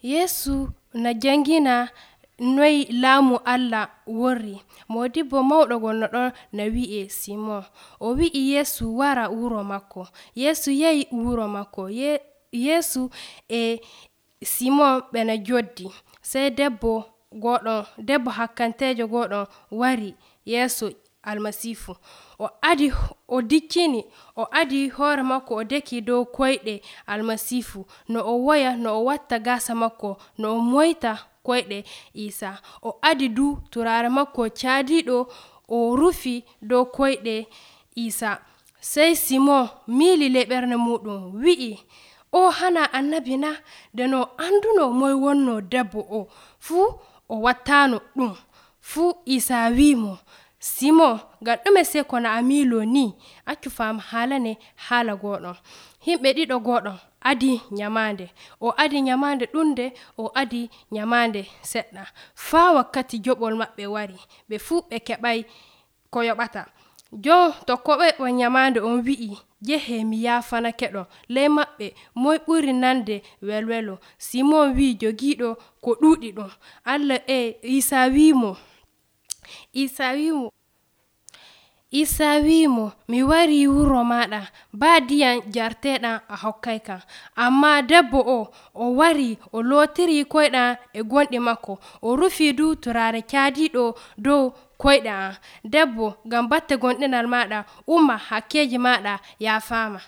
Yesu na jangina noy laamu Allah worri. Modibbo mawɗo gonno ɗon na wi'e Simon. O wi'i Yesu wara wuro makko. Yesu yahi wuro makko. Yesu e Simon ɓe na joddi. Sey debbo hakkanteejo goɗɗon wari yeeso Almasiihu. O adi hoore makko o deki dow koyɗe Almasiihu. No o woya, no o watta gaasa makko, no o moyta koyɗe Iisa. O adi turaare makko caadiiɗo o rufi dow koyɗe Iisa. Sey Simon miili ley ɓernde muɗum wi'i, o hana annabi na? Nde no anduno moy wonno debbo o, fuu o wattaano ɗum. Fuu Iisa wi'imo, Simon, ngam ɗume sey kono a miilo ni? Accu faama haalane haala goɗɗon. Himɓe ɗiɗo goɗɗon adi nyamaande. O adi nyamaande ɗunde, o adi nyamaande seɗɗa. Faa wakkati joɓol maɓɓe wari. Ɓe fuu ɓe keɓay ko yoɓata. Jon tokkoɓe nyamaande on wi'i, njehe mi yaafanake ɗon. Ley maɓɓe moy ɓuri nande welwelo? Simon wi'i jogiiɗo ko ɗuuɗi ɗum. Iisa wi'imo, mi wari wuro maaɗa, baa ndiyam njarteeɗam a hokkayka. Ammaa debbo o wari o lootiri koyɗam e gonɗi makko, o rufi turaare caadiiɗo dow koyɗe am. Debbo, ngam batte gonɗinal maaɗa, umma hakkeeji maaɗa yaafaama.